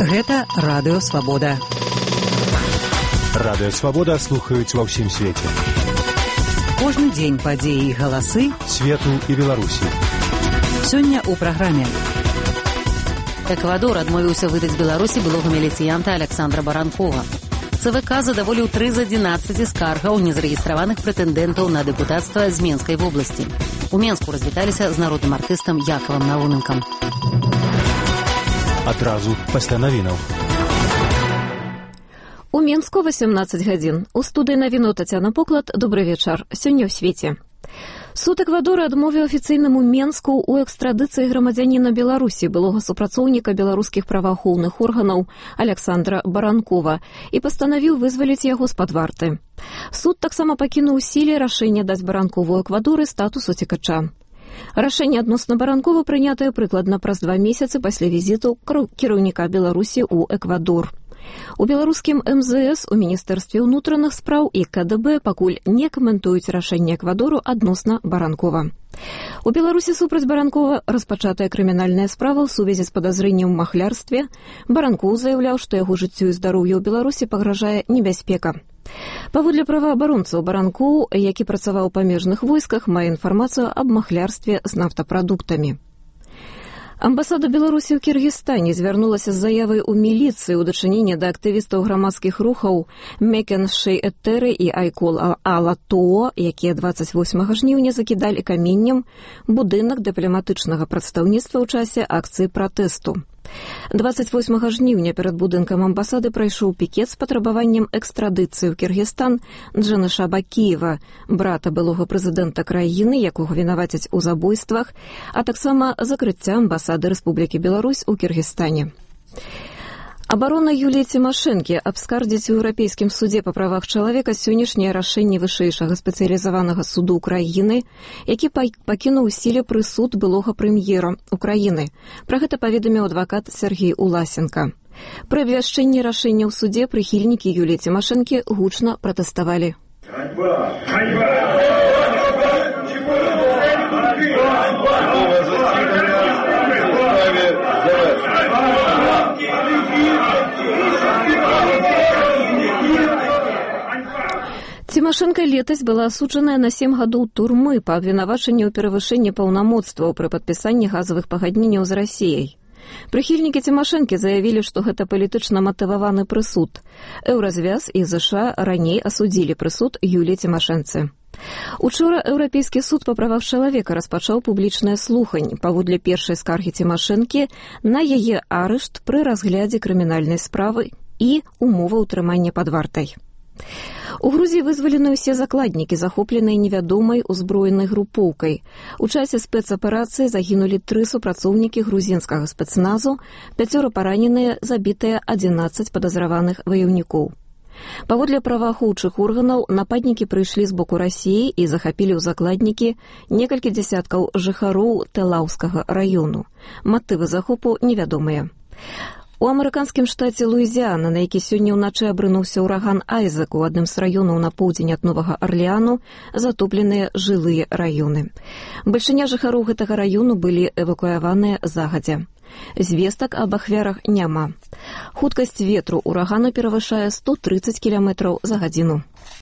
Гэта Радыё Свабода. Радыё Свабода слухаюць ва ўсім свеце. Кожны дзень падзеі і галасы свету і Беларусі. Сёння ў праграме. Эквадор адмовіўся выдаць Беларусі былога міліцыянта Александра Баранкова. ЦВК задаволіў 3 з 11 скаргаў незарэгістраваных прэтэндэнтаў на дэпутацтва з Менскай вобласці. У Менску развіталіся з народным артыстам Якавам Науненкам. Адразу пасля навінаў. У Менску 18 гадзін. У студыі навіну Тацяна Поклад. Добры вечар. Сёння ў свеце. Суд Эквадора адмовіў афіцыйнаму Менску ў экстрадыцыі грамадзяніна Беларусі, былога супрацоўніка беларускіх праваахоўных органаў Александра Баранкова, і пастанавіў вызваліць яго з-пад варты. Суд таксама пакінуў у сіле рашэнне даць Баранкову ў Эквадоры статус уцекача. Рашэнне адносна Баранкова прынятае прыкладна праз 2 месяцы пасля візіту кіраўніка Беларусі ў Эквадор. У беларускім МЗС, у Міністэрстве ўнутраных спраў і КДБ пакуль не каментуюць рашэнне Эквадору адносна Баранкова. У Беларусі супраць Баранкова распачатая крымінальная справа ў сувязі з падазрэннем у махлярстве. Баранкоў заяўляў, што яго жыццю і здароўю ў Беларусі пагражае небяспека. Паводле праваабаронцаў, Баранкоў, які працаваў у памежных войсках, мае інфармацыю аб махлярстве з нафтапрадуктамі. Амбасада Беларусі ў Кіргізстане звярнулася з заявай у міліцыі ў дачыненні да актывістаў грамадскіх рухаў Мекен Шей-Этэры і Айкол Алатоо, якія 28 жніўня закідалі каменнем будынак дыпламатычнага прадстаўніцтва ў часе акцыі пратэсту. 28 жніўня перад будынкам амбасады прайшоў пікет з патрабаваннем экстрадыцыі ў Кіргізстан Джаныша Бакіева, брата былога прэзідэнта краіны, якога вінавацяць у забойствах, а таксама закрыцця амбасады Рэспублікі Беларусь у Кіргізстане. Абарона Юліі Цімашэнкі абскардзіць у Еўрапейскім судзе па правах чалавека сённяшняе рашэнне вышэйшага спецыялізаванага суду ўкраіны, які пакінуў у сіле прысуд былога прэм'ера Украіны. Пра гэта паведаміў адвакат Сергей Уласенко. Пры абвяшчэнні рашэння ў судзе прыхільнікі Юліі Цімашэнкі гучна пратэставалі. Цімашэнка летась была асуджаная на 7 гадоў турмы па абвінавачанні ў перавышэнні паўнамоцтваў пры падпісанні газавых пагадненняў з Расіяй. Прыхільнікі Цімашэнкі заявілі, што гэта палітычна матываваны прысуд. Еўразвяз і ЗША раней асудзілі прысуд Юліі Цімашэнцы. Учора Еўрапейскі суд па правах чалавека распачаў публічнае слуханне паводле першай скаргі Цімашэнкі на яе арышт пры разглядзе крымінальнай справы і умовы ўтрымання пад вартай. У Грузіі вызвалены ўсе закладнікі, захопленыя невядомай узброенай групоўкай. У часе спецаперацыі загінулі 3 супрацоўнікі грузінскага спецназу, 5 параненыя, забітыя 11 падазраваных ваяўнікоў. Паводле праваахоўчых органаў, нападнікі прыйшлі з боку Расіі і захапілі ў закладнікі некалькі дзясяткаў жыхароў Тэлаўскага раёну. Матывы захопу невядомыя. У амерыканскім штаце Луізіана, на які сёння ўначы абрынуўся ўраган Айзек, у адным з раёнаў на поўдзень ад Новага Арлеану затопленыя жылыя раёны. Бальшыня жыхароў гэтага раёну былі эвакуяваныя загадзя. Звестак аб ахвярах няма. Хуткасць ветру ўрагану перавышае 130 км за гадзіну.